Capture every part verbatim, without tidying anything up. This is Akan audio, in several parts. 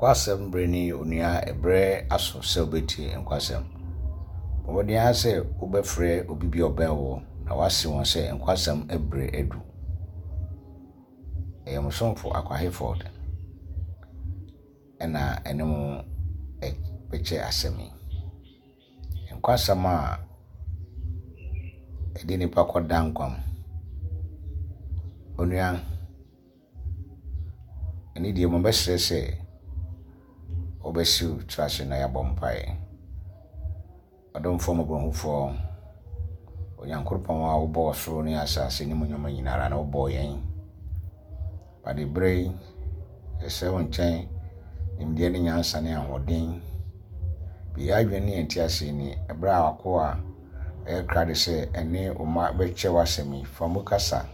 Nkwasɛm berɛ ni onua ɛberɛ aso sɛ wobɛtie nkwasɛm. Bɔ mmɔden ara sɛ wobɛfrɛ obi bi a ɔbɛn wo na woase wɔn sɛ nkwasɛm berɛ adu. Ɛyɛ mo somfo Akwa Hayford ɛna ɛne mo bɛkyɛ asɛm yi. Nkwasɛm a ɛde nnipa kɔda nkwa mu. Onua, ɛne deɛ mobɛsrɛ sɛ wobɛsiw tiri ase na yɛabɔ mpaeɛ. Ɔdomfoɔ mmɔborɔhufoɔ, Onyankopɔn a wobɔɔ ɔsoro ne asase ne mu nneɛma nyinara na wobɔɔ yɛn. Ade berɛ yi, yɛsrɛ wo nkyɛn nimdeɛ ne nyansa ne ahoɔden. Bue adwene ne yɛn nteaseɛ ni ɛberɛ a w'akoa ɛyɛ krado sɛ ɛne wo mma bɛkyɛ w'asɛm yi, fa mu kasa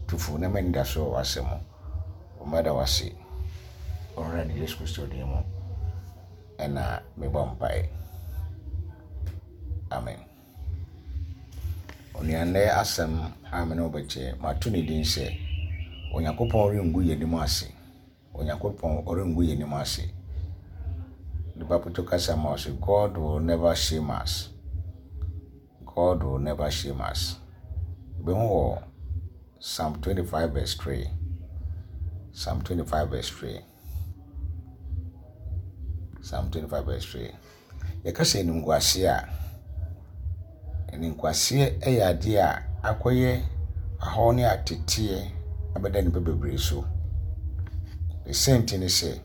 tu fo na ma anidasoɔ wɔ w'asɛm mu. Wo mma da wo ase. Owurade Yesu Kristo din mu ɛna mebɔ mpaeɛ. Amen. Onua nnɛ asɛm a me ne wo bɛkyɛ, mato ne din sɛ Onyankopɔn rengu yɛn anim ase. Onyankopɔn ɔrengu yɛn anim ase. Nipa poto kasa ma ɔsɛ God will never shame us. God will never shame us. Ebihu wɔ Psalm twenty-five verse three. Psalm twenty-five verse three. Psalm twenty-five verse three. Yɛka sɛ animguaseɛ a, animguaseɛ yɛ adeɛ a akɔyɛ ahɔho ne ateteɛ abɛda nnipa bebree so. Ne sɛnti ne sɛ,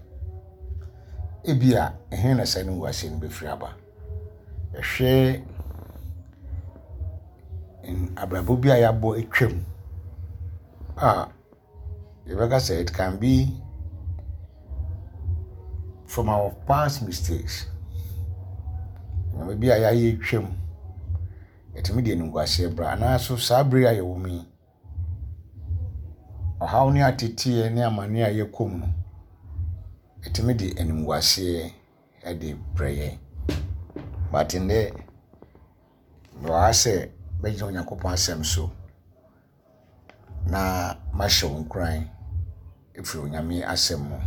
ebia ɛhe na saa animguaseɛ no bɛfiri aba. Ɛhwɛ abrabɔ bi a yɛabɔ atwam a yɛbɛka sɛ it can be from our past mistakes. Nneɛma bi a yɛayɛ atwam, ɛtumi de animguaseɛ bra. Anaaso saa bere a yɛwɔ mu yi, ɔhaw ne ateteɛ ne amanneɛ a yɛkɔ mu no, ɛtumi de animguaseɛ de brɛ yɛn. But nnɛ, mewɔ ha sɛ mɛgyina Onyankopɔn asɛm so na mahyɛ wo nkuran ɛfiri Onyame asɛm mu.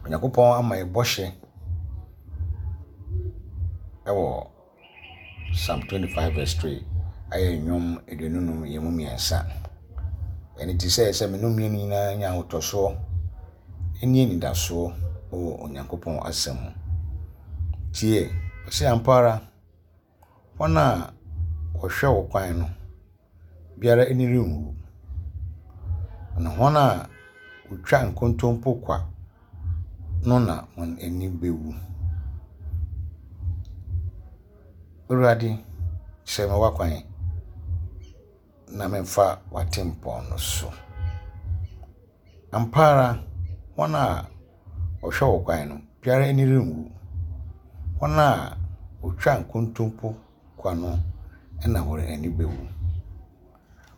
Onyankopɔn ama yɛn bɔhyɛ ɛwɔ Psalm twenty-five verse three, ayɛ nnwom aduonu num yɛn mu mmiɛnsa. Ɛno nti sɛ sɛ me ne mmienu nyinaa nya ahotɔsoɔ ne anidasoɔ wɔ Onyankopɔn asɛm mu. Tie, ɔsɛ ampa ara, wɔn a wɔhwɛ wo kwan no, biara ani renwu. Na wɔn a wotwa nkontompo kwa no na wɔn ani bɛwu. Awurade, kyerɛ me w'akwan na memfa w'atempɔn no so. Ampa ara, wɔn a wɔhwɛ wo kwan no, biara ani renwu. Wɔn a wotwa nkontompo kwa no na wɔn ani bɛwu.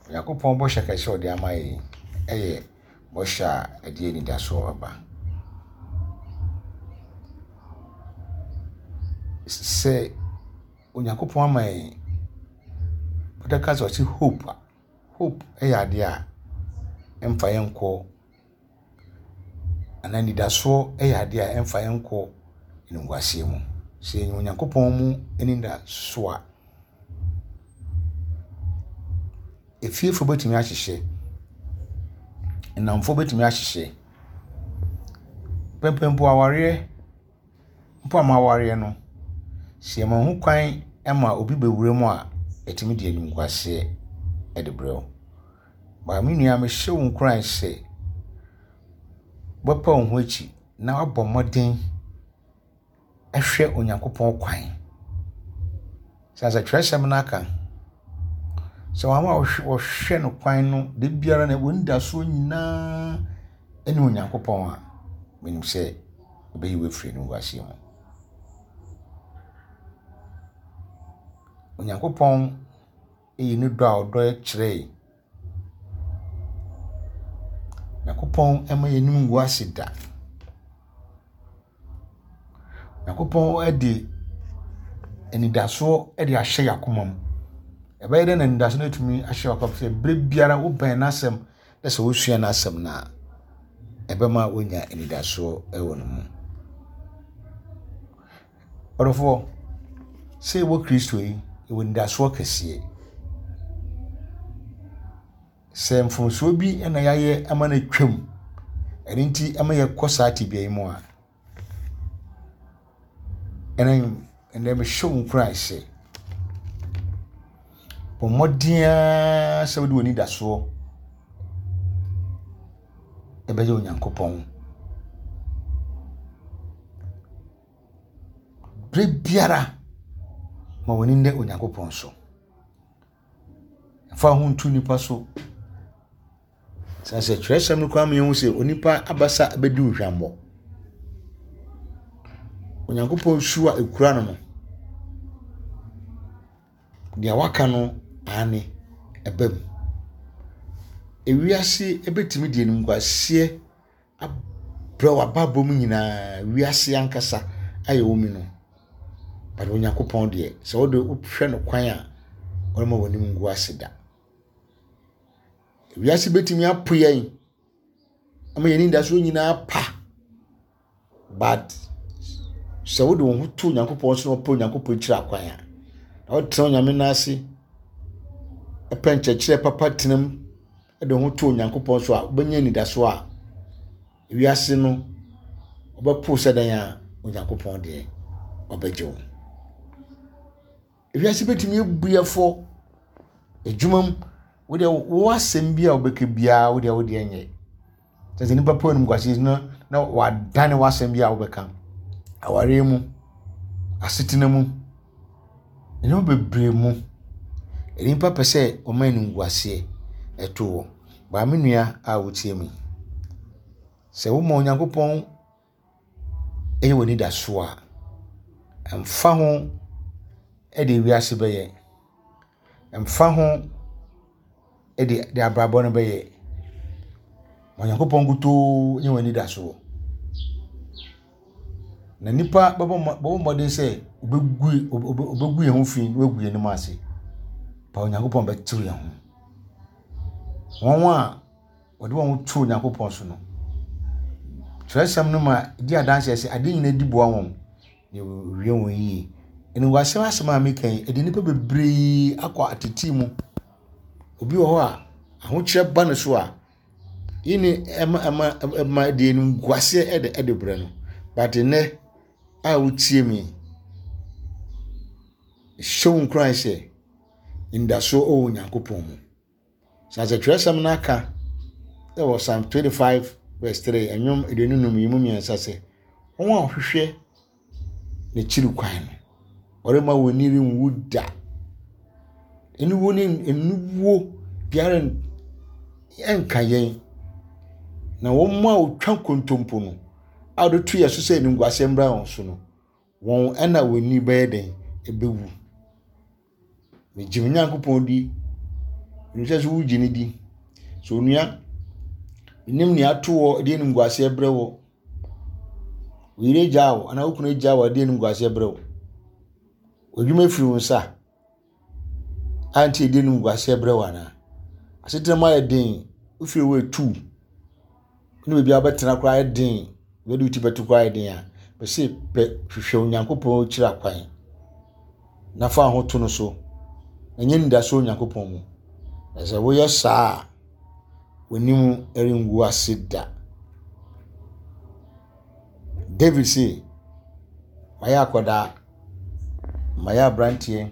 Onyankopɔn bɔhyɛ kɛse a ɔde ama yɛn yɛ bɔhyɛ a ɛde anidasoɔ aba. Sɛ Onyankopɔn ama yɛn, wɔbɛka sɛ ɔse hope a, hope yɛ adeɛ a ɛmfa yɛn nkɔ, anaa anidasoɔ yɛ adeɛ a ɛmfa yɛn nkɔ animguaseɛ mu. Sɛ yɛnya Onyankopɔn mu anidasoɔ a, efiefoɔ bɛtumi ahyehyɛ, nnamfoɔ bɛtumi ahyehyɛ, pɛmpɛn mpo awareɛ mpo a moawareɛ no, sɛ yɛma ho kwan ma obi bɛwura mu a, ɛtumi de animguaseɛ de brɛ wo. Ba me nua, mehyɛ wo nkuran sɛ wobɛpa wo ho akyi na woabɔ mmɔden ahwɛ Onyankopɔn kwan. Sɛ sɛ twerɛsɛm no aka sɛ wɔn a wɔhwɛ no kwan no, da biara no wɔn anidasoɔ nyinaa ne Onyankopɔn a, menim sɛ ɔbɛyi wo afiri animguaseɛ mu. Onyankopɔn yi ne dɔ a ɔdɔ kyerɛ yɛn. Onyankopɔn mma yɛn anim ngu ase da. Onyankopɔn de anidasoɔ de ahyɛ yɛn akoma mu. Ɛbɛyɛ dɛ na anidasoɔ no atumi ahyɛ w'akoma mu sɛ berɛ biara wobɛn n'asɛm na sɛ wosua n'asɛm no a, ɛbɛma woanya anidasoɔ wɔ ne mu. Ɔdɔfoɔ, sɛ yɛwɔ Kristo yi, yɛwɔ anidasoɔ kɛseɛ. Sɛ mfomsoɔ bi na yɛayɛ ama no atwam, ɛno nti ama yɛkɔ saa tebea yi mu a, ɛnɛ ɛnɛ mehyɛ wo nkuran sɛ, bɔ mmɔden ara sɛ wode w'anidasoɔ ɛbɛyɛ Onyankopɔn. Berɛ biara, ma w'ani nnɛ Onyankopɔn so. Mfa wo ho nto nnipa so. Sɛ sɛ twerɛsɛm no koraa ma yɛhu sɛ onipa abasa bɛdi wo hwammɔ. Onyankopɔn su a ɛkura no no, deɛ waka no aane ɛba mu. Ewiase ɛbɛtumi de animguaseɛ abrɛ w'abrabɔ mu nyinaa, wiase ankasa a yɛwɔ mu no. But Onyankopɔn deɛ, sɛ wode wohwɛ no kwan a, ɔremma w'anim ngu ase da. Wiase bɛtumi apo yɛn ama yɛn anidasoɔ nyinaa pa. But sɛ wode wo ho to Onyankopɔn so na wopɛ Onyankopɔn akyiri akwan a, na wotena Onyame nan ase, ɛpɛ nkyerɛkyerɛ papa tena mu, de wo ho to Onyankopɔn so a, wobɛnya anidasoɔ a wiase no wɔbɛpo sɛ dɛn a Onyankopɔn deɛ ɔbɛgye wo. Ewiase bɛtumi abu yɛ fɔ adwuma mu, wodeɛ wo asɛm bi a wobɛka biara wodeɛ wodeɛ nyɛ. Kyerɛ sɛ nnipa pɛ animguaseɛ na na wadane w'asɛm bi a wobɛka. Awareɛ mu, asetena mu, nneɛma bebree mu. Nnipa pɛ sɛ wɔma animguaseɛ ɛto wɔ. Baa me nua a wotie me, sɛ woma Onyankopɔn ɛyɛ w'anidasoɔ a, ɛmfa ho ɛde wiase bɛyɛ, ɛmfa ho ɛde de abrabɔ no bɛyɛ. Onyankopɔn nkutoo nyɛ w'anidasoɔ. Na nipa bɛbɔ bɛbɔ mmɔden sɛ obɛgu obɛgu yɛn ho fi na wagu yɛn anim ase. Pa Onyankopɔn bɛtew yɛn ho. Wɔn a wɔde wɔn ho to Onyankopɔn so no, twerɛsɛm no ma di adanseɛ sɛ adeɛ nyinaa di boa wɔn na wɔwie wɔn yie. Animguaseɛ asɛm a meka yi, ɛde nnipa bebree akɔ atete mu. Obi wɔ hɔ a, ahokyerɛ ba ne so a, yini ɛma ɛma ɛma de animguaseɛ ɛde ɛde brɛ no. But nnɛ a wotie me, hyɛ wo nkuran sɛ anidasoɔ wɔ Onyankopɔn mu. Sɛ sɛ twerɛsɛm no aka ɛwɔ Psalm twenty-five verse three, ɛnwom aduonu num yi mu mmiɛnsa sɛ, wɔn a wɔhwehwɛ n'akyiri kwan no, ɔremma wɔn ani renwu da. Aniwuo ne aniwuo biara ɛnka yɛn. Na wɔn a wɔtwa nkontompo no, a wɔde to yɛn so sɛ animguaseɛ mmra wɔn so no, wɔn ɛna wɔn ani bɛyɛ den ɛbɛwu. Megye me Nyankopɔn di, menim sɛ sɛ wogye ne di. Sɛ onua, menim nea ato wɔ de animguaseɛ brɛ wɔ. Wo yere gyaa wo anaa wo kunu gyaa wo de animguaseɛ brɛ wo. W'adwuma firi wo nsa a nti ɛde animguaseɛ brɛ wo anaa? Asetena mu ayɛ den, wofiri wo etu. Ne baabi a wobɛtena koraa ayɛ den, baabi a wo ti bɛto koraa ayɛ den a, bɛse pɛ hwehwɛ Onyankopɔn akyiri akwan na fa wo ho to no so. Na nyɛ anidasoɔ Onyankopɔn mu. Na sɛ woyɛ saa a, w'anim rengu ase da. David se, mayɛ akwadaa, mayɛ aberanteɛ,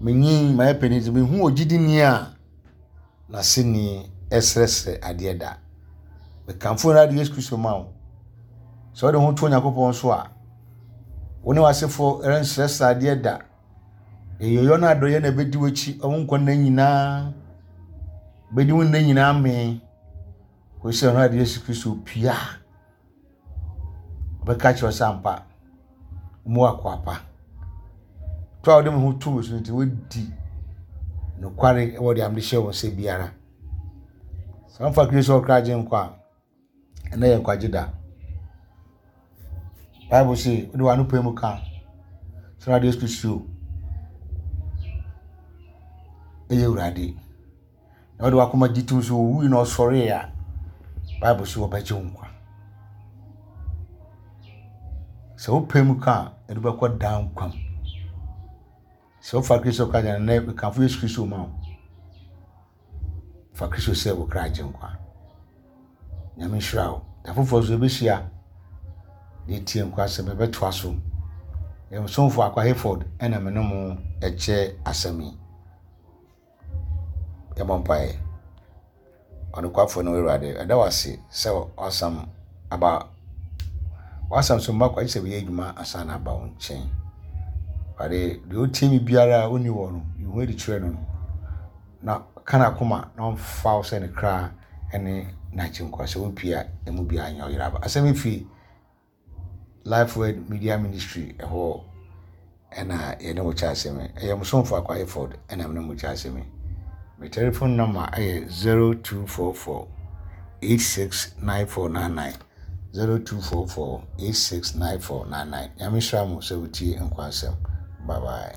menyin, mayɛ panin nti mehu ogyidini a n'aseni ɛsrɛsrɛ adeɛ da. Mekamfo Awurade Yesu Kristo ma wo. Sɛ wode ho to Onyankopɔn so a, wo ne w'asefoɔ rensrɛsrɛ adeɛ da. Ɛyɔyɔ no adɔeɛ na ɛbɛdi w'akyi wo nkwa nna nyinaa. Bɛdi wo nna nyinaa mee. Kɔsi sɛ Awurade Yesu Kristo pue a, ɔbɛka kyerɛ wo sɛ ampa, mu akoa pa. To a wode me ho to me so nti, woadi nokware wɔ deɛ mede hyɛ wo nsa biara. Sɛ wamfa Kristo ɔkra agye nkwa a, ɛnnɛ yɛ nkwagye da. Bible se, wode w'ano pae mu ka sɛ Awurade Yesu Kristo ɛyɛ Awurade. Na wode w'akoma gye tom sɛ owui na ɔsɔree a, Bible so wɔbɛgye wo nkwa. Sɛ wopɛ mu ka a, ɛde bɛkɔ daa nkwa mu. Sɛ wofa Kristo ka gyina nnɛ, mekamfo Yesu Kristo ma wo. Fa Kristo sɛ wo kra agye nkwa. Nyame nhyira wo. Da foforɔ nso yɛbɛhyia na yɛtie nkwa asɛm yɛbɛtoa so. Yɛn somfo Akwa Hayford ɛna me ne mo ɛkyɛ asɛm yi. Yɛbɔ mpaeɛ. Ɔnokwafo no Awurade, ɛda wo ase sɛ w'asɛm aba w'asɛm so mma kwa gye sɛ bɛyɛ adwuma ansa na aba wo nkyɛn. Awurade, deɛ ɔtie me biara a ɔnni wɔ no, yi ho adi kyerɛ no na ka n'akoma na ɔmfa wo sɛ ne kra ne n'agyenkwa sɛ wompie a ɛmu biara nyɛ ɔyera aba. Asɛm yi firi Life Word Media Ministry ɛhɔ ɛna yɛne wo kyɛ asɛm yi. Ɛyɛ mo somfo Akwa Hayford ɛna me ne mo kyɛ asɛm yi. Me telephone number ɛyɛ zero two four four eight six nine four nine nine zero two four four eight six nine four nine nine. Nyame nhyira mo sɛ wotie nkwa asɛm. Bye bye.